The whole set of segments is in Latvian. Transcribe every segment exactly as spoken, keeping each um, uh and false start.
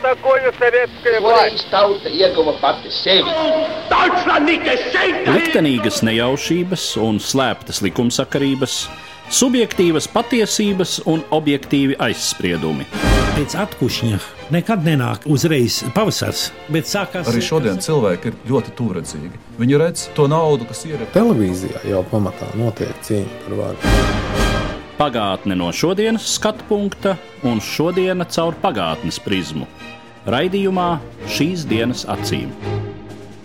такое советская власть? Tauta ieguva pati sevi. Liktenīgas nejaušības un slēptas likumsakarības, subjektīvas patiesības un objektīvi aizspriedumi. Pēc atkušņa nekad nenāk uzreiz pavasars, bet sākās... Arī šodien cilvēki ir ļoti tūredzīgi. Viņi redz to naudu, kas ir... Televīzijā jau pamatā notiek cīņa par varu. Pagātne no šodienas skatu punkta un šodiena caur pagātnes prizmu. Raidījumā Šīs dienas acīm.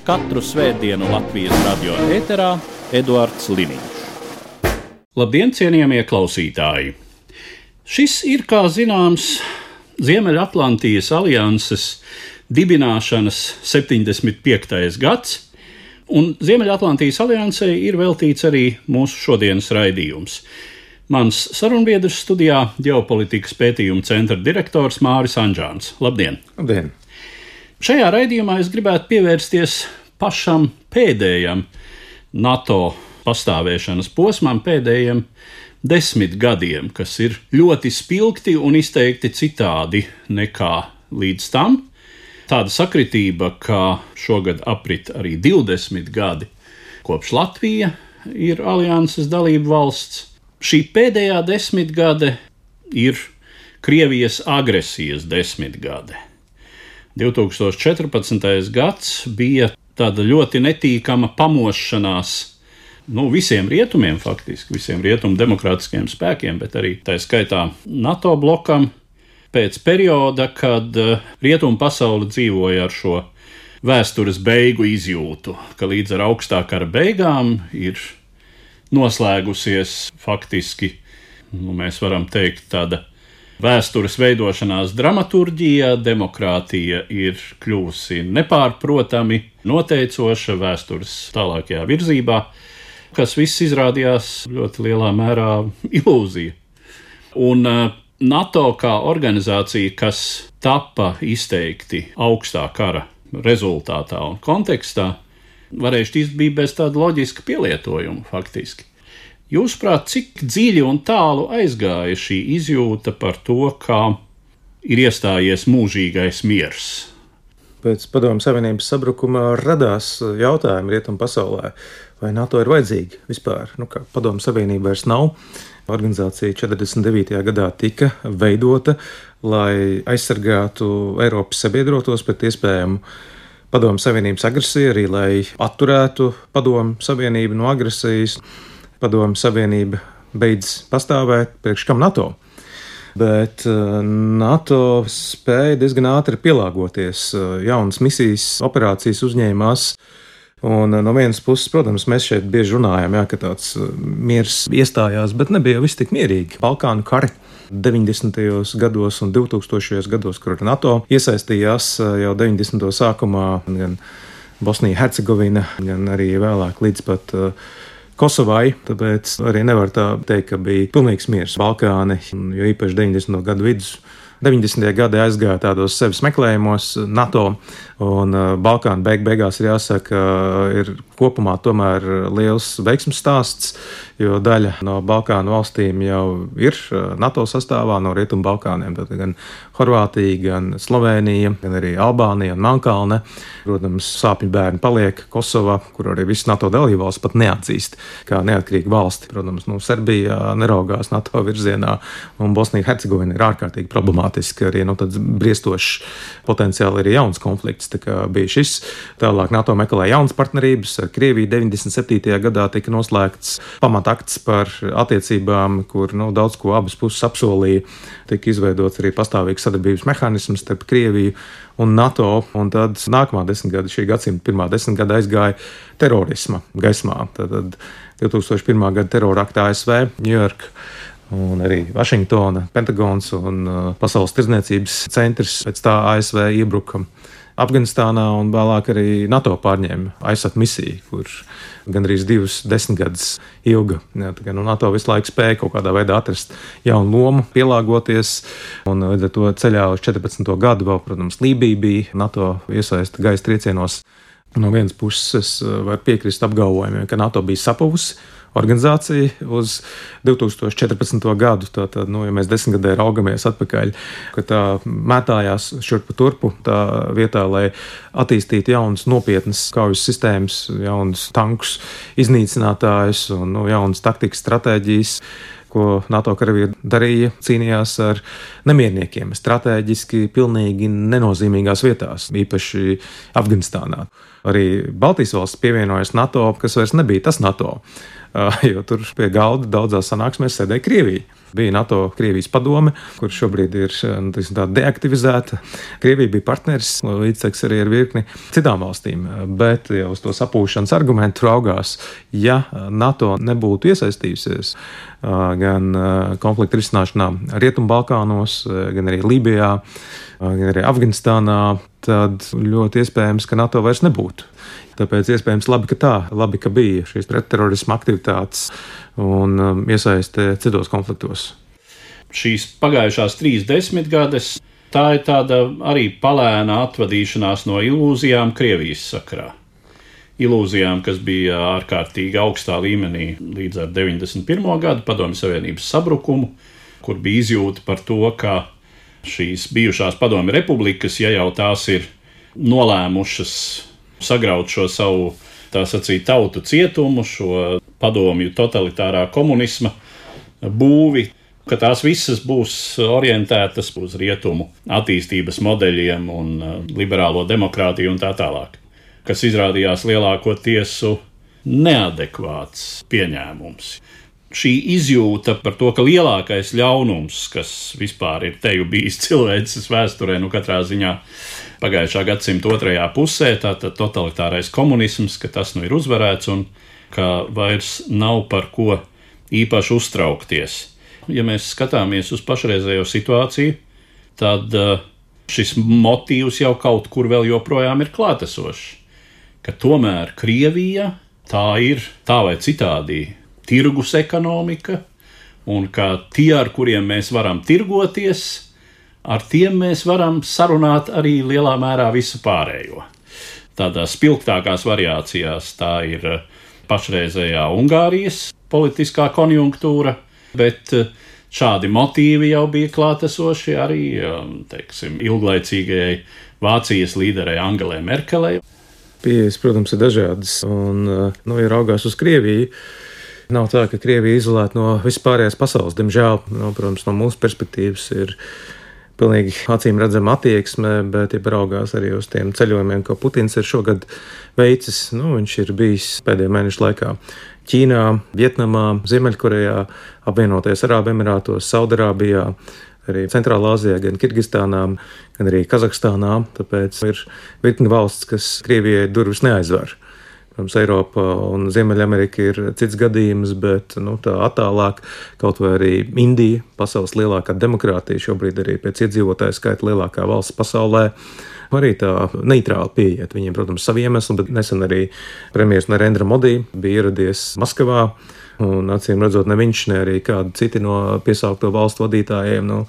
Katru svētdienu Latvijas radio ēterā Eduards Liniņš. Labdien, cienījamie klausītāji! Šis ir, kā zināms, Ziemeļatlantijas alianses dibināšanas septiņdesmit piektais gads, un Ziemeļatlantijas aliansei ir veltīts arī mūsu šodienas raidījums. Mans sarunbiedrs studijā ģeopolitikas pētījuma centra direktors Māris Anžāns. Labdien! Labdien! Šajā raidījumā es gribētu pievērsties pašam pēdējam NATO pastāvēšanas posmam, pēdējiem desmit gadiem, kas ir ļoti spilgti un izteikti citādi nekā līdz tam. Tāda sakritība, ka šogad aprit arī divdesmit gadi, kopš Latvija ir alianses dalība valsts. Šī pēdējā desmitgade ir Krievijas agresijas desmitgade. divtūkstoš četrpadsmitais gads bija tāda ļoti netīkama pamošanās, nu, visiem rietumiem faktiski, visiem rietumu demokrātiskiem spēkiem, bet arī tā skaitā NATO blokam, pēc perioda, kad rietumu pasaule dzīvoja ar šo vēstures beigu izjūtu, ka līdz ar augstā kara beigām ir noslēgusies faktiski, nu, mēs varam teikt, tāda vēstures veidošanās dramaturģija, demokrātija ir kļuvusi nepārprotami noteicoša vēstures tālākajā virzībā, kas viss izrādījās ļoti lielā mērā ilūzija. Un NATO kā organizācija, kas tapa izteikti augstā kara rezultātā un kontekstā, varēja šķist bija bez tāda loģiska pielietojuma faktiski. Jūsuprāt, cik dziļi un tālu aizgāja šī izjūta par to, kā ir iestājies mūžīgais miers? Pēc Padomju Savienības sabrukuma radās jautājumi rietumu pasaulē, vai NATO ir vajadzīga vispār. Nu, kā Padomju Savienība vairs nav. Organizācija četrdesmit devītajā gadā tika veidota, lai aizsargātu Eiropas sabiedrotos pret iespējamu Padomju Savienības agresija, arī lai atturētu Padomju Savienību no agresijas. Padomju Savienība beidz pastāvēt, priekš kam NATO. Bet NATO spēja diezgan ātri pielāgoties, jaunas misijas, operācijas uzņēmās. Un no vienas puses, protams, mēs šeit bieži runājam, jā, ka tāds miers iestājās, bet nebija viss tik mierīgi. Balkānu kari deviņdesmitajos gados un divtūkstošajos gados, kur NATO iesaistījās jau deviņdesmito sākumā, gan Bosnija, Hercegovina, gan arī vēlāk līdz pat Kosovai, tāpēc arī nevar tā teikt, ka bija pilnīgs miers Balkāni, jo īpaši deviņdesmito gadu vidus. deviņdesmitie gadi aizgāja tādos sevis meklējumos NATO, un Balkānu beig beigās ir jāsaka, ir kopumā tomēr liels veiksmes stāsts, jo daļa no Balkānu valstīm jau ir NATO sastāvā, no Rietumu Balkāniem, tad gan Horvātija, gan Slovēnija, gan arī Albānija un Melnkalne. Protams, sāpju bērni paliek Kosova, kur arī visas NATO dalībvalstis pat neatzīst kā neatkarīgu valsti. Protams, nu, Serbija neraugās NATO virzienā, un Bosnija Hercegovina ir ārkārtīgi problemātiski, arī nu, tāds briestošs potenciāli arī jauns konflikts. Tā kā bija šis, tālāk NATO meklē jaunas partnerības. Ar Krieviju deviņdesmit septītajā gadā tika noslēgts pamatakts par attiecībām, kur nu, daudz ko abas puses apsolīja. Tika izveidots arī pastāvīgs sadarbības mehānisms starp Krieviju un NATO, un tad nākamā desmitgada, šī gadsimta pirmā desmitgada aizgāja terorisma gaismā. Tad divtūkstoš pirmā gada terora akta A S V, Ņujorka, un arī Vašingtona, Pentagons un Pasaules tirdzniecības centrs pēc tā A S V iebruka Afganistānā, un vēlāk arī NATO pārņēma aizsat misiju, kur gandrīz divas desmitgadus ilga. Jā, tā kā nu, NATO visu laiku spēja kaut kādā veidā atrast jaunu lomu, pielāgoties, un līdz ar to ceļā uz četrpadsmito gadu vēl, protams, Lībija bija NATO iesaista gaisa triecienos. No vienas puses var piekrist apgalvojumiem, ka NATO bija sapuvusi organizācija uz divi tūkstoši četrpadsmito gadu. Tātad, nu, ja mēs desmitgadē raugamies atpakaļ, ka tā mētājās šurpu turpu tā vietā, lai attīstītu jaunas nopietnas kaujas sistēmas, jaunus tankus, iznīcinātājus un nu, jaunas taktikas, stratēģijas, ko NATO karavīri darīja, cīnījās ar nemierniekiem, strateģiski pilnīgi nenozīmīgās vietās, īpaši Afganistānā. Arī Baltijas valsts pievienojas NATO, kas vairs nebija tas NATO, jo tur pie galda daudzās sanāksmēs sēdēja Krievija. Bija NATO Krievijas padome, kur šobrīd ir nu, tā deaktivizēta. Krievija bija partneris, līdztekus arī ar virkni citām valstīm, bet jau uz to sapūšanas argumentu raugās, ja NATO nebūtu iesaistījusies gan konflikta risināšanā Rietumbalkānos, gan arī Lībijā, gan arī Afganistānā, tad ļoti iespējams, ka NATO vairs nebūtu. Tāpēc iespējams labi, ka tā, labi, ka bija šīs pretterorisma aktivitātes un um, iesaiste citos konfliktos. Šīs pagājušās trīs desmitgades, tā ir tāda arī palēna atvadīšanās no ilūzijām Krievijas sakarā. Ilūzijām, kas bija ārkārtīgi augstā līmenī līdz ar deviņdesmit pirmo gadu Padomju Savienības sabrukumu, kur bija izjūta par to, ka šīs bijušās Padomju republikas, ja jau tās ir nolēmušas sagraut šo savu, tā sacīt, tautu cietumu, šo padomju totalitārā komunisma būvi, ka tās visas būs orientētas uz rietumu attīstības modeļiem un liberālo demokrātiju un tā tālāk, kas izrādījās lielākoties neadekvāts pieņēmums. Šī izjūta par to, ka lielākais ļaunums, kas vispār ir teju bijis cilvēces vēsturē, nu katrā ziņā pagājušā gadsimta otrajā pusē, tātad totalitārais komunisms, ka tas nu ir uzvarēts un ka vairs nav par ko īpaši uztraukties. Ja mēs skatāmies uz pašreizējo situāciju, tad šis motīvs jau kaut kur vēl joprojām ir klātesošs, ka tomēr Krievija tā ir tā vai citādi tirgus ekonomika, un ka tie, ar kuriem mēs varam tirgoties, ar tiem mēs varam sarunāt arī lielā mērā visu pārējo. Tādās spilgtākās variācijās tā ir pašreizējā Ungārijas politiskā konjunktūra, bet šādi motīvi jau bija klātesoši arī, teiksim, ilglaicīgajai Vācijas līderei Angelai Merkelei. Pieejas, protams, ir dažādas, un, nu, ja raugās uz Krieviju, nav tā, ka Krievija izolēta no vispārējās pasaules. Diemžēl, nu, protams, no mūsu perspektīvas ir pilnīgi acīm redzama attieksme, bet, ja paraugās arī uz tiem ceļojumiem, ko Putins ir šogad veicis, nu, viņš ir bijis pēdējo mēnešu laikā Ķīnā, Vietnamā, Ziemeļkorejā, apvienoties Arābu Emirātos, Saudarābijā, arī Centrālā Āzijā, gan Kirgistānā, gan arī Kazahstānā, tāpēc ir virkni valsts, kas Krievijai durvis neaizver. Protams, Eiropa un Ziemeļamerika ir cits gadījums, bet nu, tā attālāk, kaut vai arī Indija, pasaules lielākā demokrātija, šobrīd arī pēc iedzīvotāju skaita lielākā valsts pasaulē, arī tā neitrāli pieiet. Viņiem, protams, savi iemesli, bet nesen arī premjers Narendra Modi bija ieradies Maskavā, un acīm redzot, ne viņš, ne arī kādi citi no piesaukto valstu vadītājiem, nu,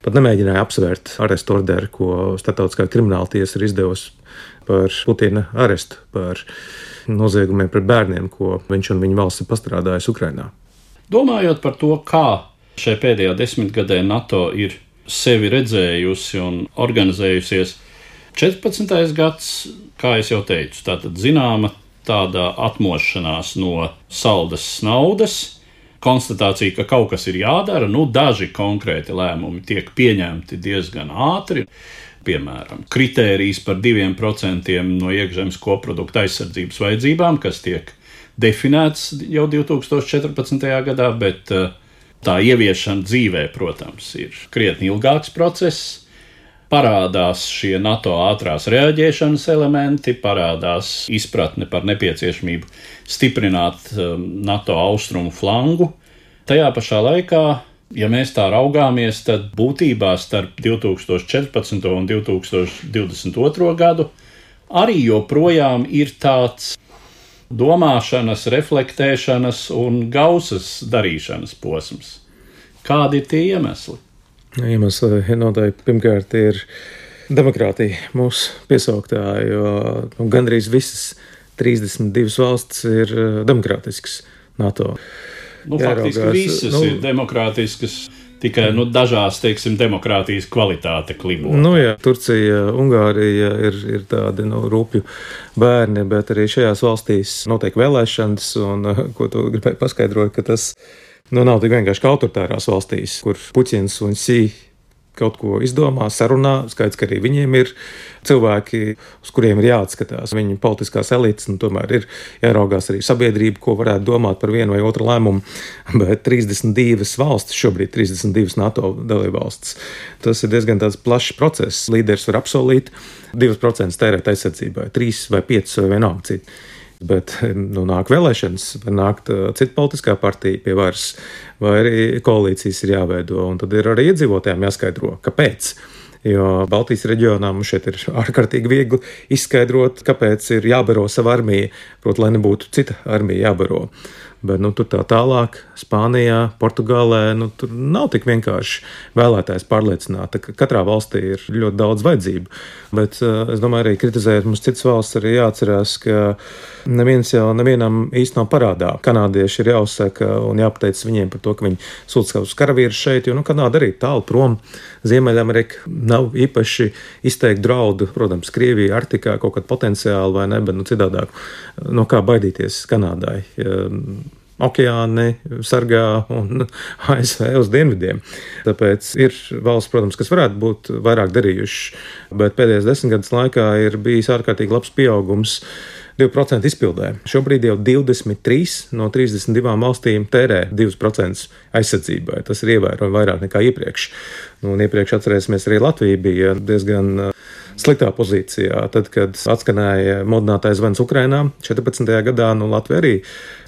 pat nemēģināja apsvērt arestu orderu, ko Starptautiskā krimināla tiesa ir izdevusi par Putina arestu, par noziegumiem pret bērniem, ko viņš un viņa valsts ir pastrādājusi Ukrainā. Domājot par to, kā šai pēdējā desmitgadē NATO ir sevi redzējusi un organizējusies, četrpadsmitais gads, kā es jau teicu, tātad zināma tāda atmošanās no saldas naudas, konstatācija, ka kaut kas ir jādara, nu daži konkrēti lēmumi tiek pieņemti diezgan ātri, piemēram, kritērijs par diviem procentiem no iekšzemes koprodukta aizsardzības vajadzībām, kas tiek definēts jau divi tūkstoši četrpadsmitajā gadā, bet tā ieviešana dzīvē, protams, ir krietni ilgāks process. Parādās šie NATO ātrās reaģēšanas elementi, parādās izpratne par nepieciešamību stiprināt NATO austrumu flangu. Tajā pašā laikā, ja mēs tā raugāmies, tad būtībā starp divi tūkstoši četrpadsmito un divi tūkstoši divdesmit otro gadu arī joprojām ir tāds domāšanas, reflektēšanas un gausas darīšanas posms. Kādi ir tie iemesli? Iemesli noteikti pirmkārt ir demokrātija mūsu piesauktā, jo nu, gandrīz visas trīsdesmit divas valstis ir demokrātiskas. NATO. Nu, faktiski Jāraugās, visas nu, ir demokrātiskas, tikai nu, dažās, teiksim, demokrātijas kvalitāte klibo. Nu, jā, Turcija, Ungārija ir, ir tādi nu, rūpju bērni, bet arī šajās valstīs notiek vēlēšanas, un ko tu gribēji paskaidrot, ka tas nu, nav tik vienkārši kā autoritārās valstīs, kur Puķins un Sī kaut ko izdomā, sarunā. Skaidrs, ka arī viņiem ir cilvēki, uz kuriem ir jāatskatās. Viņu politiskās elites, nu, tomēr ir jāraugās arī sabiedrība, ko varētu domāt par vienu vai otru lēmumu. Bet trīsdesmit divas valstis, šobrīd trīsdesmit divas NATO dalībvalstis, tas ir diezgan tāds plašs process. Līderis var apsolīt divus procentus tērēt aizsardzībai, trīs vai piecus vai vienalga citu. Bet nu, nāk vēlēšanas, var nākt uh, cita politiskā partija pie varas, vai arī koalīcijas ir jāveido, un tad ir arī iedzīvotājiem jāskaidro, kāpēc. Jo Baltijas reģionā mums šeit ir ārkārtīgi viegli izskaidrot, kāpēc ir jābaro sava armija, proti, lai nebūtu cita armija jābaro. Bet nu, tur tā tālāk, Spānijā, Portugālē, nu, tur nav tik vienkārši vēlētājs pārliecināt. Katrā valstī ir ļoti daudz vajadzību. Bet es domāju, arī kritizējot mums citas valsts, arī jāatcerās, ka neviens jau nevienam īsti nav parādā. Kanādieši ir jāuzsaka un jāpateic viņiem par to, ka viņi sūta savus karavīrus šeit, jo nu, Kanāda arī tālu prom. Ziemeļamerika nav īpaši izteikti draudu. Protams, Krievija, Arktikā kaut kāda potenciāla vai ne, bet nu, citādāk. No kā baidīties Kanādai? Okeāni sargā un A S V uz dienvidiem. Tāpēc ir valsts, protams, kas varētu būt vairāk darījuši, bet pēdējos desmit gadus laikā ir bijis ārkārtīgi labs pieaugums divi procenti izpildē. Šobrīd jau divdesmit trīs no trīsdesmit divām valstīm tērē divus procentus aizsardzībai. Tas ir ievērojami vairāk nekā iepriekš. Nu, un iepriekš atcerēsimies, arī Latvija bija diezgan sliktā pozīcijā. Tad, kad atskanēja modinātais zvans Ukrainā četrpadsmitajā gadā, nu Latvija arī,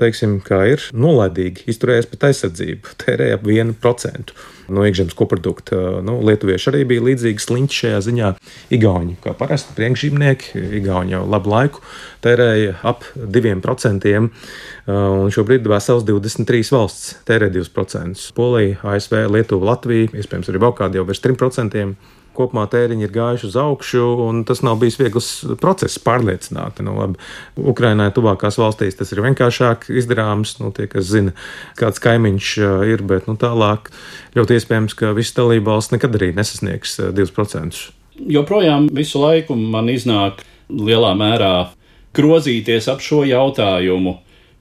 teiksim, kā ir nolaidīgi izturējies pret aizsardzību, tērēja ap vienu procentu no iekšzemes koprodukta. Nu, lietuvieši arī bija līdzīgi sliņķi šajā ziņā. Igauņi, kā parasti priekšzīmnieki, Igauņi jau labu laiku tērēja ap diviem procentiem, un šobrīd vesels divdesmit trīs valsts tērē divus procentus. Polija, A S V, Lietuva, Latvija, iespējams arī vēl kādi jau virs trim procentiem. Kopumā tēriņi ir gājuši uz augšu, un tas nav bijis viegls process pārliecināt. Nu, labi, Ukrainai tuvākās valstīs tas ir vienkāršāk izdarāms, nu, tie, kas zina, kāds kaimiņš ir, bet nu, tālāk ļoti iespējams, ka visas dalībvalsts nekad arī nesasniegs divus procentus. Joprojām visu laiku man iznāk lielā mērā grozīties ap šo jautājumu,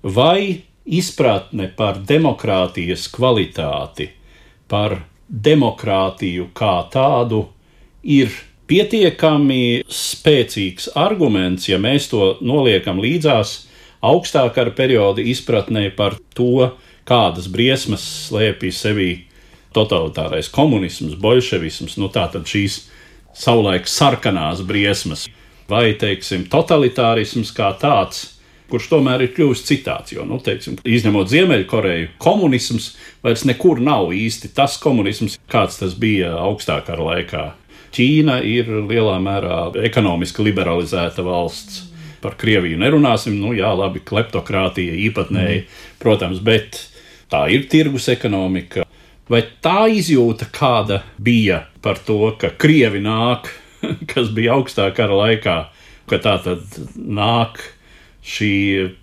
vai izpratne par demokrātijas kvalitāti, par demokrātiju kā tādu, ir pietiekami spēcīgs arguments, ja mēs to noliekam līdzās augstākara perioda izpratnē par to, kādas briesmas slēpj sevī totalitārais komunisms, boļševisms, nu tātad šīs savulaik sarkanās briesmas, vai, teiksim, totalitārisms kā tāds, kurš tomēr ir kļuvis citāds, jo, nu, teiksim, izņemot Ziemeļkoreju, komunisms vairs nekur nav īsti tas komunisms, kāds tas bija augstākara laikā. Ķīna ir lielā mērā ekonomiski liberalizēta valsts. Par Krieviju nerunāsim, nu jā, labi, kleptokrātija īpatnēji, protams, bet tā ir tirgus ekonomika. Vai tā izjūta kāda bija par to, ka Krievi nāk, kas bija augstākara laikā, ka tā tad nāk šī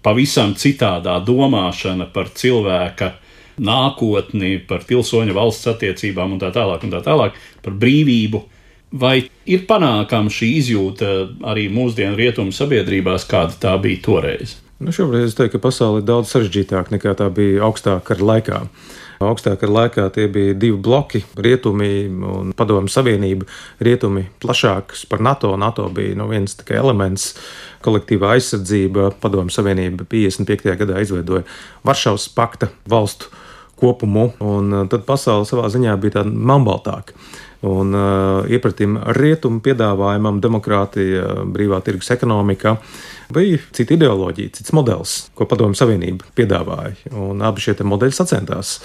pavisam citādā domāšana par cilvēka nākotni, par pilsoņa valsts attiecībām un tā tālāk un tā tālāk, par brīvību. Vai ir panākama šī izjūta arī mūsdienu rietumu sabiedrībās, kāda tā bija toreiz? Nu, šobrīd es teiktu, ka pasaule ir daudz sarežģītāka nekā tā bija augstākara laikā. Augstākara laikā tie bija divi bloki, rietumi un Padomju Savienība. Rietumi plašāks par NATO. NATO bija nu, viens tikai elements, kolektīvā aizsardzība. Padomju Savienība piecdesmit piektajā gadā izveidoja Varšavas pakta valstu kopumu, un tad pasaule savā ziņā bija tāda melnbaltāka. Un uh, iepratim rietumu piedāvājumam demokrātija, brīvā tirgus ekonomika bija cita ideoloģija, cits modelis, ko Padomju Savienība piedāvāja. Un abi šie modeļi sacentās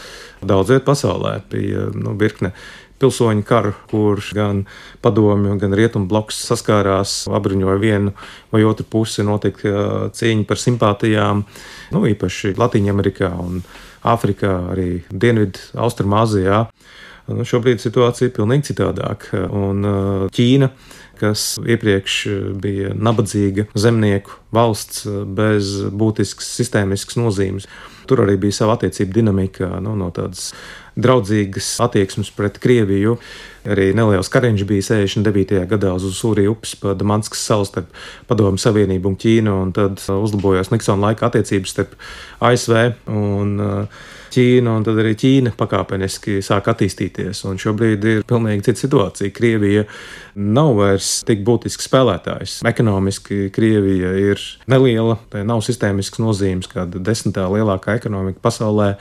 daudz viet pasaulē. Bija nu, virkne pilsoņu karu, kur gan padomju, gan rietumu bloks saskārās, apbruņoja vienu vai otru pusi, notika cīņa par simpātijām, nu, īpaši Latīņamerikā un Āfrikā, arī Dienvidu Austrumāzijā. Nu, šobrīd situācija ir pilnīgi citādāka. Un Ķīna, kas iepriekš bija nabadzīga zemnieku valsts bez būtiskas sistēmiskas nozīmes, tur arī bija sava attiecība dinamika, nu, no tādas draudzīgas attieksmes pret Krieviju. Arī neliels kariņš bija sešdesmit devītajā gadā uz Usūrī upes pa Damanskas salu starp Padomju Savienību un Ķīnu, un tad uzlabojās Niksona laika attiecības starp A S V un Ķīnu, un tad arī Ķīna pakāpeniski sāk attīstīties. Un šobrīd ir pilnīgi cita situācija. Krievija nav vairs tik būtisks spēlētājs. Ekonomiski Krievija ir neliela, tai nav sistēmisks nozīmes, kāda desmitā lielākā ekonomika pasaulē.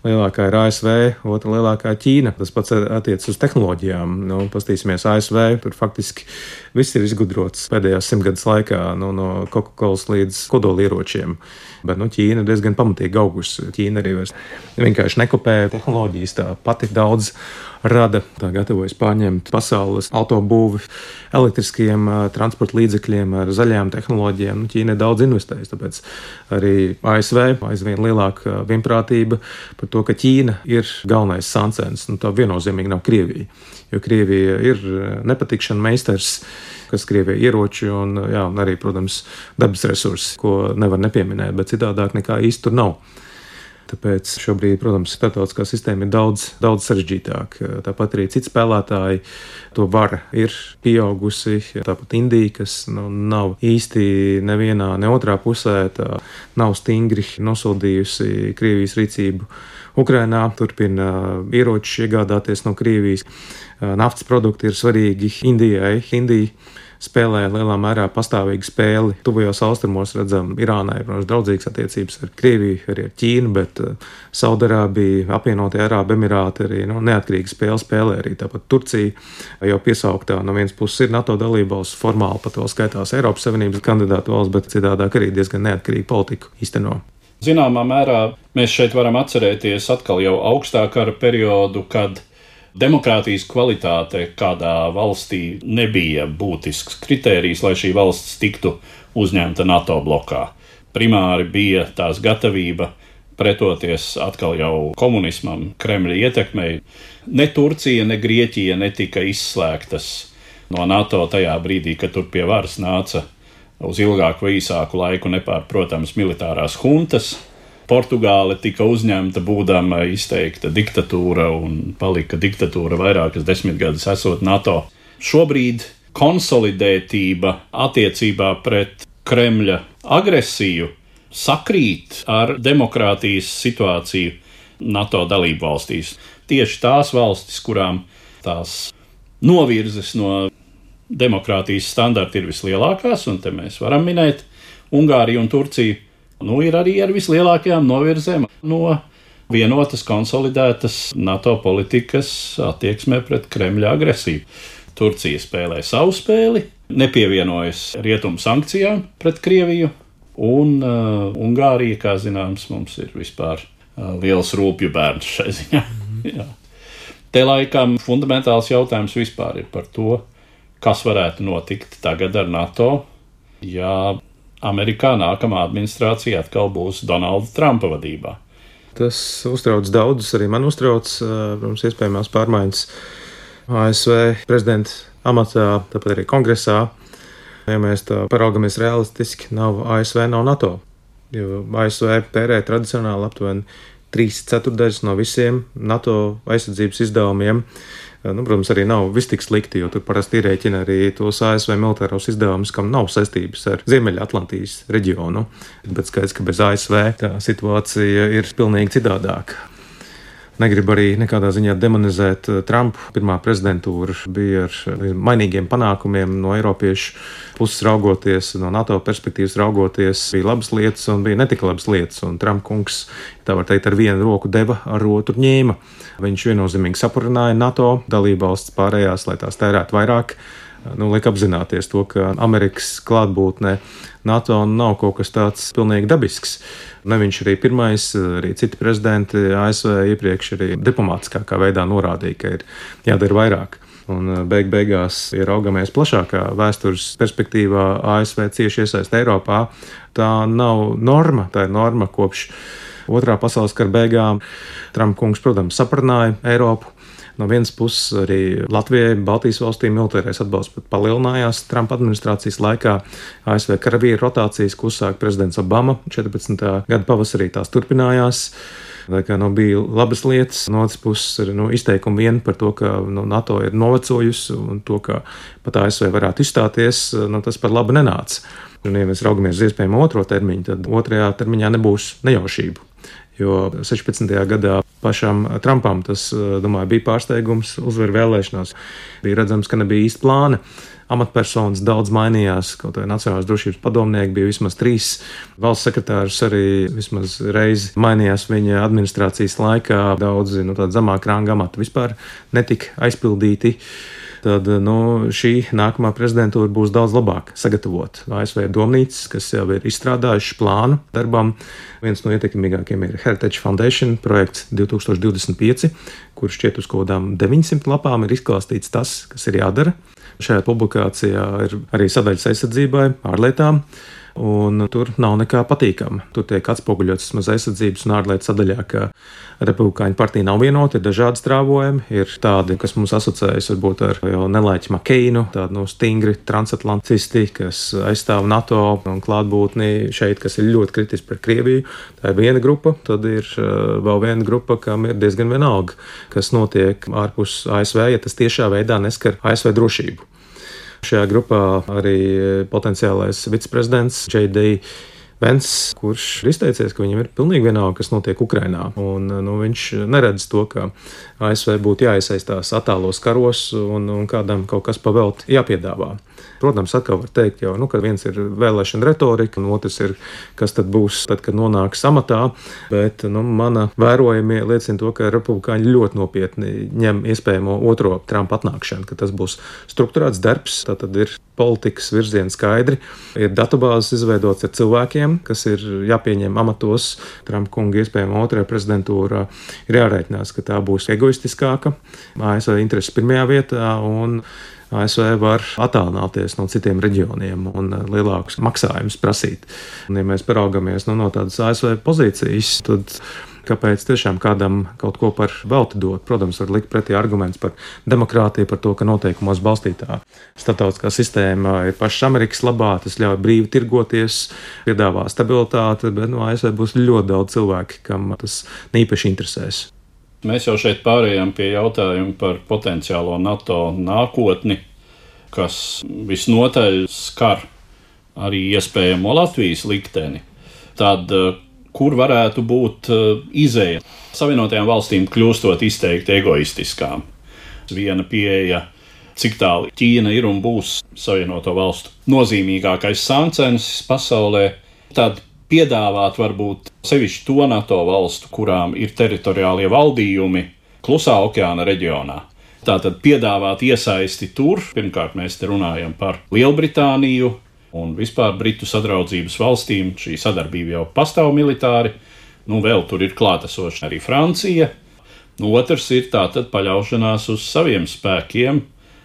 Lielākā ir A S V, otra lielākā Ķīna. Tas pats attiec uz tehnoloģijām. Nu, pastīsimies A S V, tur faktiski viss ir izgudrots pēdējās simtgades laikā, nu, no Coca-Colas līdz kodolieročiem. Bet nu, Ķīna ir diezgan pamatīgi augusi. Ķīna arī vairs vienkārši nekopē tehnoloģijas, tā pati daudz rada, tā gatavojas pārņemt pasaules autobūvi elektriskiem transporta līdzekļiem ar zaļajām tehnoloģijām. Nu, Ķīna ir daudz investējusi, tāpēc arī A S V aizvien lielāka vienprātība par to, ka Ķīna ir galvenais sancens. Nu, tā viennozīmīgi nav Krievija, jo Krievija ir nepatikšana meistars, kas Krievijai ieroči un, jā, un arī, protams, dabas resursi, ko nevar nepieminēt, bet citādāk nekā īsti tur nav. Tāpēc šobrīd, protams, starptautiskā sistēma ir daudz, daudz sarežģītāka. Tāpat arī citi spēlētāji, to vara ir pieaugusi. Tāpat Indija, kas nu, nav īsti nevienā, ne otrā pusē, tā nav stingri nosodījusi Krievijas rīcību Ukrainā, turpina ieročus iegādāties no Krievijas. Naftas produkti ir svarīgi Indijai. Indija spēlē lielā mērā pastāvīgu spēli. Tuvajos austrumos redzam, Irānai, protams, draudzīgas attiecības ar Krieviju, arī ar Ķīnu, bet Saudarābija, apvienotie Arābu Emirāti arī nu, neatkarīgi spēli spēlē. Arī tāpat Turcija jau piesauktā no vienas puses ir NATO dalībvalsts, formāli pat vēl skaitās Eiropas Savienības kandidātu valsts, bet citādāk arī diezgan neatkarīgu politiku īsteno. Zināmā mērā mēs šeit varam atcerēties atkal jau augstā kara periodu, kad demokrātijas kvalitāte kādā valstī nebija būtisks kritērijs, lai šī valsts tiktu uzņemta NATO blokā. Primāri bija tās gatavība pretoties atkal jau komunismam, Kremļa ietekmei. Ne Turcija, ne Grieķija netika izslēgtas no NATO tajā brīdī, kad tur pie varas nāca uz ilgāku vai īsāku laiku nepārprotams militārās huntas. Portugāle tika uzņemta būdama izteikta diktatūra un palika diktatūra vairākas desmitgadus esot NATO. Šobrīd konsolidētība attiecībā pret Kremļa agresiju sakrīt ar demokrātijas situāciju NATO dalību valstīs. Tieši tās valstis, kurām tās novirzes no demokrātijas standarta ir vislielākās, un te mēs varam minēt Ungāriju un Turciju, nu, ir arī ar vislielākajām novirzēm no vienotas, konsolidētas NATO politikas attieksmē pret Kremļa agresiju. Turcija spēlē savu spēli, nepievienojas rietumu sankcijām pret Krieviju, un uh, Ungārija, kā zināms, mums ir vispār uh, liels rūpju bērns šai ziņā. Jā. Te laikam fundamentāls jautājums vispār ir par to, kas varētu notikt tagad ar NATO, ja Amerikā nākamā administrācija atkal būs Donalda Trumpa vadībā. Tas uztrauc daudzus, arī man uztrauc, protams, iespējamās pārmaiņas A S V prezidenta amatā, tāpat arī kongresā. Ja mēs tā paraugamies realistiski, nav A S V, nav NATO, jo A S V tērē tradicionāli aptuveni trīs ceturdaļas no visiem NATO aizsardzības izdevumiem. Nu, protams, arī nav viss tik slikti, jo tur parasti ierēķina arī tos A S V militāros izdevumus, kam nav saistības ar Ziemeļatlantijas reģionu. Bet skaidrs, ka bez A S V tā situācija ir pilnīgi citādāka. Negribu arī nekādā ziņā demonizēt Trumpu. Pirmā prezidentūra bija ar mainīgiem panākumiem no eiropiešu puses raugoties, no NATO perspektīvas raugoties. Bija labas lietas un bija netik labas lietas, un Trump kungs, tā var teikt, ar vienu roku deva, ar otru ņēma. Viņš viennozīmīgi sapurināja NATO dalībvalstis pārējās, lai tās tērētu vairāk. Nu, liek apzināties to, ka Amerikas klātbūtne NATO nav kaut kas tāds pilnīgi dabisks. Ne viņš arī pirmais, arī citi prezidenti A S V iepriekš arī diplomātiskākā veidā norādīja, ka ir jādara vairāk. Un beig beigās, ja raugamies plašākā vēstures perspektīvā, A S V cieši iesaist Eiropā, tā nav norma, tā ir norma kopš Otrā pasaules kara beigām. Trumpa kungs, protams, saprināja Eiropu. No vienas puses arī Latvijai, Baltijas valstīm militārais atbalsts pat palielinājās Trumpa administrācijas laikā. A S V karavīru rotācijas, ko uzsāka prezidents Obama četrpadsmitā gada pavasarī, tās turpinājās. Tā kā nu, bija labas lietas, no otras puses ir nu, izteikumi vien par to, ka nu, NATO ir novecojusi un to, ka pat A S V varētu izstāties, nu, tas par labu nenāca. Un, ja mēs raugamies uz iespējamo otro termiņu, tad otrajā termiņā nebūs nejaušību. Jo sešpadsmitajā gadā pašam Trumpam tas, domāju, bija pārsteigums, uzvar vēlēšanās. Bija redzams, ka nebija īsti plāna. Amatpersonas daudz mainījās, kaut arī Nacionālās drošības padomnieki bija vismaz trīs. Valsts sekretārs arī vismaz reizi mainījās viņa administrācijas laikā. Daudzi no tāda zemāka ranga amati vispār netika aizpildīti. Tad nu, šī nākamā prezidentūra būs daudz labāk sagatavota. A S V domnīcas, kas jau ir izstrādājuši plānu darbam. Viens no ietekmīgākiem ir Heritage Foundation projekts divi tūkstoši divdesmit pieci, kurš šķiet uz kaut kādām deviņsimt lapām ir izklāstīts tas, kas ir jādara. Šajā publikācijā ir arī sadaļas aizsardzībai, ārlietām, un tur nav nekā patīkama. Tur tiek atspoguļots vismaz aizsardzības un ārlietu sadaļā, ka Republikāņu partija nav vienota, ir dažādi strāvojumi, ir tādi, kas mums asociējas varbūt ar jau Nelaiķi Makeinu, tādi no stingri transatlantisti, kas aizstāv NATO un klātbūtni šeit, kas ir ļoti kritiski par Krieviju. Tā ir viena grupa, tad ir vēl viena grupa, kam ir diezgan vienalga, kas notiek ārpus A S V, ja tas tiešā veidā neskar A S V drošību. Šajā grupā arī potenciālais viceprezidents J D Vence, kurš ir izteicies, ka viņam ir pilnīgi vienalga, kas notiek Ukrainā. Un, nu, viņš neredz to, ka A S V būtu jāiesaistās attālos karos un, un kādam kaut kas pavēlt jāpiedāvā. Protams, atkal var teikt, jau, nu, ka viens ir vēlēšana retorika, un otrs ir, kas tad būs, tad, kad nonāks amatā. Bet nu, mana vērojumie liecina to, ka republikāņi ļoti nopietni ņem iespējamo otro Trumpa atnākšanu, ka tas būs strukturēts darbs, tātad ir politikas virziens skaidri, ir datubāzes izveidots ar cilvēkiem, kas ir jāpieņem amatos. Trumpa kunga iespējama otrajā prezidentūrā ir jārēķinās, ka tā būs egoistiskāka, A S V intereses pirmajā vietā, un A S V var attālināties no citiem reģioniem un lielākus maksājumus prasīt. Un, ja mēs paraugamies nu, no tādas A S V pozīcijas, tad kāpēc tiešām kādam kaut ko par velti dot? Protams, var likt pretī arguments par demokrātiju, par to, ka noteikumos balstītā starptautiskā sistēma ir pašas Amerikas labā, tas ļauj brīvi tirgoties, piedāvā stabilitāti, bet no A S V būs ļoti daudz cilvēki, kam tas neīpaši interesēs. Mēs jau šeit pārējām pie jautājuma par potenciālo NATO nākotni, kas visnotaļ skar arī iespējamo Latvijas likteni. Tad, kur varētu būt izeja? Savienotajām valstīm kļūstot izteikti egoistiskām. Viena pieeja, cik tālu Ķīna ir un būs Savienoto valstu nozīmīgākais sāncensis pasaulē, tad piedāvāt varbūt sevišķi to NATO valstu, kurām ir teritoriālie valdījumi Klusā okeāna reģionā. Tātad piedāvāt iesaisti tur. Pirmkārt, mēs te runājam par Lielbritāniju un vispār Britu sadraudzības valstīm. Šī sadarbība jau pastāv militāri. Nu, vēl tur ir klātesoša arī Francija. Nu, otrs ir tātad paļaušanās uz saviem spēkiem,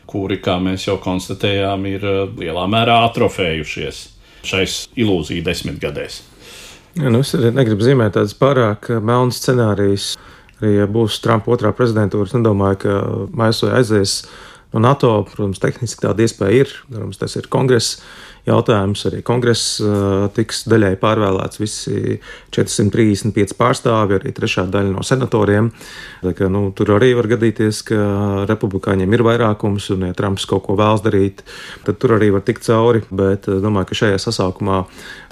kuri, kā mēs jau konstatējām, ir lielā mērā atrofējušies šais ilūziju desmitgadēs. Ja, nu es negribu zīmēt tādas pārāk melnas scenārijas. Arī, ja būs Trumpa otrā prezidentūra, es nedomāju, ka A S V aizies no NATO. Protams, tehniski tāda iespēja ir. Protams, tas ir kongress jautājums. Arī kongress uh, tiks daļai pārvēlēts visi četrsimt trīsdesmit pieci pārstāvi, arī trešā daļa no senatoriem. Tā kā, nu, tur arī var gadīties, ka republikāņiem ir vairākums, un ja Trumps kaut ko vēlas darīt, tad tur arī var tikt cauri. Bet es domāju, ka šajā sasaukumā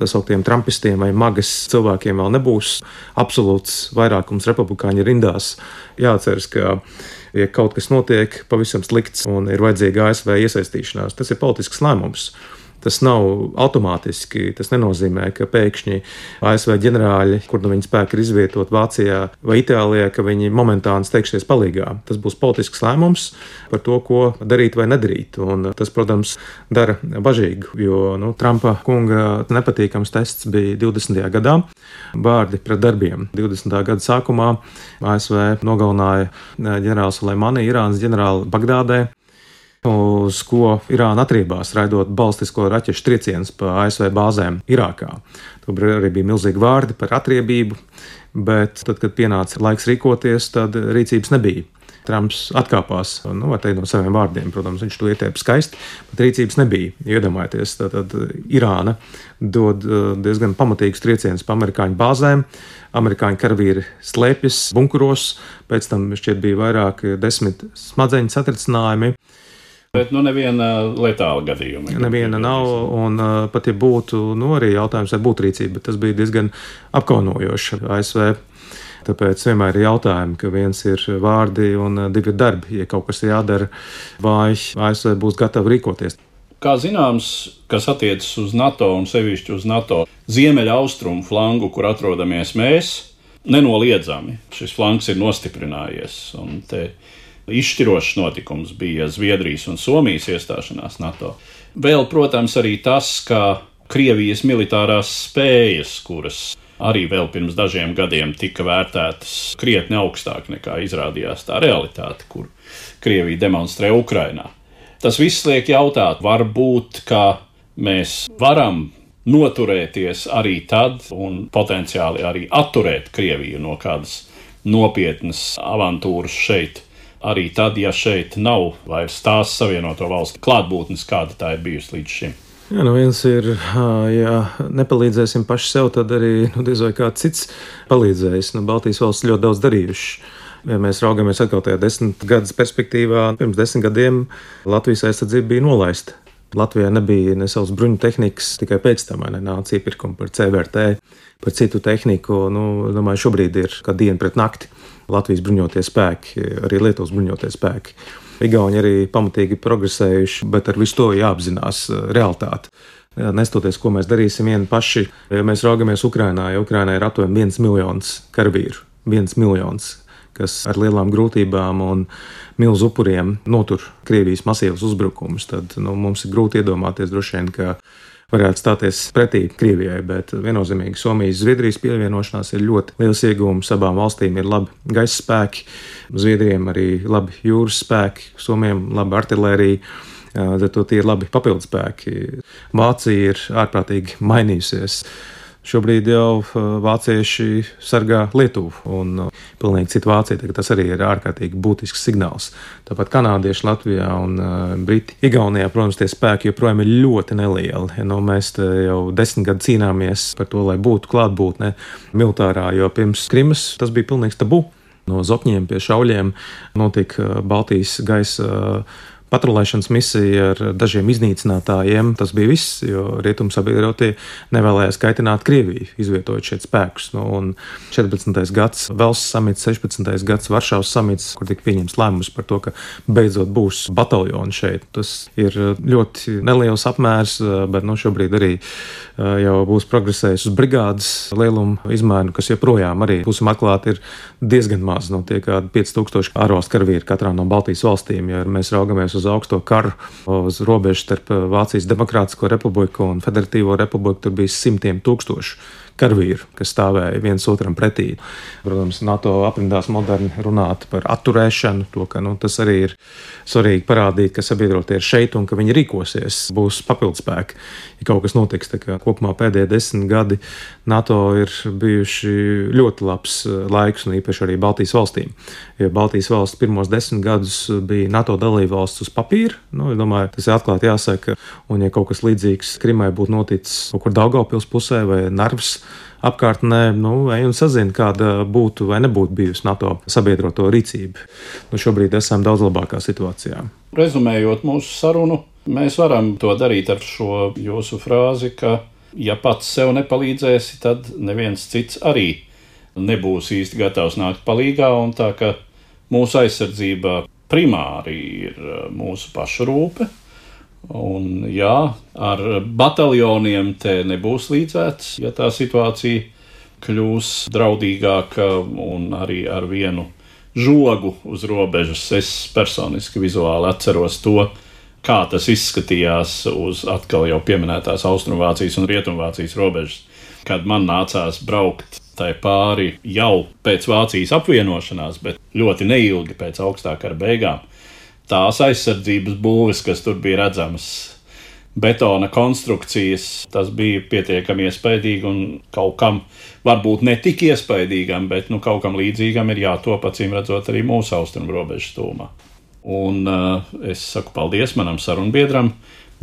tas sauktiem trumpistiem vai magas cilvēkiem vēl nebūs absolūts vairākums republikāņu rindās. Jāatceras, ka ja kaut kas notiek pavisam slikts un ir vajadzīga A S V iesaistīšanās, tas ir politisks lēmums. Tas nav automātiski, tas nenozīmē, ka pēkšņi A S V ģenerāļi, kur nu viņi spēki ir izvietot Vācijā vai Itālijā, ka viņi momentāni steigsies palīgā. Tas būs politisks lēmums par to, ko darīt vai nedarīt. Un tas, protams, dara bažīgu, jo nu, Trumpa kunga nepatīkams tests bija divdesmitajā gadā. Vārdi pret darbiem. divdesmitā gada sākumā A S V nogalināja ģenerāli Suleimani, Irānas ģenerāli Bagdādē, uz ko Irāna atriebās, raidot balistisko raķešu triecienus pa A S V bāzēm Irākā. Tur arī bija milzīgi vārdi par atriebību, bet tad, kad pienāca laiks rīkoties, tad rīcības nebija. Trumps atkāpās nu, no saviem vārdiem. Protams, viņš to ietēpa skaisti, bet rīcības nebija. Iedomājieties, tātad Irāna dod diezgan pamatīgus triecienus pa amerikāņu bāzēm. Amerikāņu karavīri slēpjas bunkuros, pēc tam šķiet bija vairāk desmit smadzeņu satricinājumi. Bet nu neviena letāla gadījuma. Neviena nav, un uh, pat ja būtu, nu arī jautājums, vai būtu rīcība, bet tas bija diezgan apkaunojoši A S V. Tāpēc vienmēr ir jautājumi, ka viens ir vārdi un divi ir darbi. Ja kaut kas ir jādara, vai A S V būs gatava rīkoties. Kā zināms, kas attiecas uz NATO un sevišķi uz NATO ziemeļa austrumu flangu, kur atrodamies mēs, nenoliedzami šis flangs ir nostiprinājies. Un te izšķirošs notikums bija Zviedrijas un Somijas iestāšanās NATO. Vēl, protams, arī tas, ka Krievijas militārās spējas, kuras arī vēl pirms dažiem gadiem tika vērtētas krietni augstāk nekā izrādījās tā realitāte, kur Krievija demonstrē Ukrainā. Tas viss liek jautāt, varbūt, ka mēs varam noturēties arī tad un potenciāli arī atturēt Krieviju no kādas nopietnas avantūras šeit, arī tad, ja šeit nav vairs tās Savienoto Valstu klātbūtnes, kāda tā ir bijusi līdz šim. Jā, nu viens ir, ja nepalīdzēsim paši sev, tad arī nu, diez vai kāds cits palīdzējis. Nu, Baltijas valsts ļoti daudz darījuši. Ja mēs raugamies atkal tajā desmit gadus perspektīvā, pirms desmit gadiem Latvijas aizsardzība bija nolaista. Latvijā nebija ne savas bruņu tehnikas, tikai pēc tam nāca iepirkumi par C V R T, par citu tehniku. Nu, domāju, šobrīd ir kā diena pret nakti. Latvijas bruņotie spēki, arī Lietuvas bruņotie spēki. Igauni arī pamatīgi progresējuši, bet ar visu to jāapzinās realitāte. Nestoties, ko mēs darīsim vieni paši, ja mēs raugamies Ukrainā, ja Ukrainā ir aptuveni viens miljons karavīru, viens miljons, kas ar lielām grūtībām un milzu upuriem notur Krievijas masīvus uzbrukumus, tad nu, mums ir grūti iedomāties droši vien, ka varētu stāties pretī Krievijai, bet viennozīmīgi Somijas Zviedrijas pievienošanās ir ļoti liels iegūms. Abām valstīm ir labi gaisa spēki, Zviedriem arī labi jūras spēki, Somiem labi artilērija, tad tie ir labi papildu spēki. Vācija ir ārprātīgi mainījusies. Šobrīd jau vācieši sargā Lietuvu un pilnīgi citu Vāciju, tas arī ir ārkārtīgi būtisks signāls. Tāpat kanādieši Latvijā un briti Igaunijā, protams, tie spēki joprojām ir ļoti nelieli. Nu, mēs jau desmit gadu cīnāmies par to, lai būtu klātbūtne militārā, jo pirms Krimas tas bija pilnīgs tabu. No Zokņiem pie Šauļiem notika Baltijas gaisa patrulēšanas misija ar dažiem iznīcinātājiem. Tas bija viss, jo rietumsabiedrotie nevēlējās kaitināt Krieviju, izvietojot šeit spēkus. Nu, un četrpadsmitais gads Velsas samits, sešpadsmitais gads Varšavas samits, kur tika pieņems lēmums par to, ka beidzot būs bataljoni šeit. Tas ir ļoti neliels apmērs, bet nu, šobrīd arī jau būs progresējis uz brigādes lielumu izmēru, kas joprojām arī, būsim atklāti, ir diezgan maz. Nu, tie kādi pieci tūkstoši ārvalstu karavīri katrā no Baltijas valstīm. Ja mēs raugamies uz augsto karu, uz robežu starp Vācijas Demokrātisko republiku un Federatīvo republiku, tur bija simtiem tūkstošu karavīru, kas stāvēja viens otram pretī. Protams, NATO aprindās moderni runāt par atturēšanu, to, ka nu, tas arī ir svarīgi parādīt, ka sabiedrotie ir šeit un ka viņi rīkosies, būs papildspēki, ja kaut kas notiks. Tā kā kopumā pēdējie desmit gadi NATO ir bijuši ļoti labs laiks, un īpaši arī Baltijas valstīm. Jo Baltijas valsts pirmos desmit gadus bija NATO dalība valsts uz papīra, nu, es domāju, tas ir atklāti jāsaka, un ja kaut kas līdzīgs Krimai būtu noticis kaut kur Daugavpils pusē vai Narvas apkārtnē, nu, ej un sazina, kāda būtu vai nebūtu bijusi NATO sabiedroto rīcība. Nu, šobrīd esam daudz labākā situācijā. Rezumējot mūsu sarunu, mēs varam to darīt ar šo jūsu frāzi, ka ja pats sev nepalīdzēsi, tad neviens cits arī nebūs īsti gatavs nākt palīgā, un tā ka mūsu aizsardzība primāri ir mūsu pašu rūpe. Un jā, ar bataljoniem te nebūs līdzēts, ja tā situācija kļūs draudīgāka un arī ar vienu žogu uz robežas. Es personiski vizuāli atceros to, kā tas izskatījās uz atkal jau pieminētās Austrumvācijas un Rietumvācijas robežas, kad man nācās braukt tai pāri jau pēc Vācijas apvienošanās, bet ļoti neilgi pēc augstā kara beigām. Tās aizsardzības būves, kas tur bija redzamas, betona konstrukcijas. Tas bija pietiekami iespaidīgi un kaut kam varbūt ne tik iespaidīgam, bet nu, kaut kam līdzīgam ir jātop, acīm redzot, arī mūsu austrumu robežas tūmā. Un uh, es saku paldies manam sarunbiedram,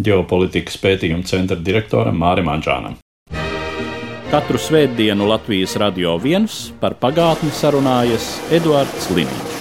ģeopolitikas pētījuma centra direktoram Mārim Anžānam. Katru svētdienu Latvijas Radio viens par pagātni sarunājas Eduards Liniņš.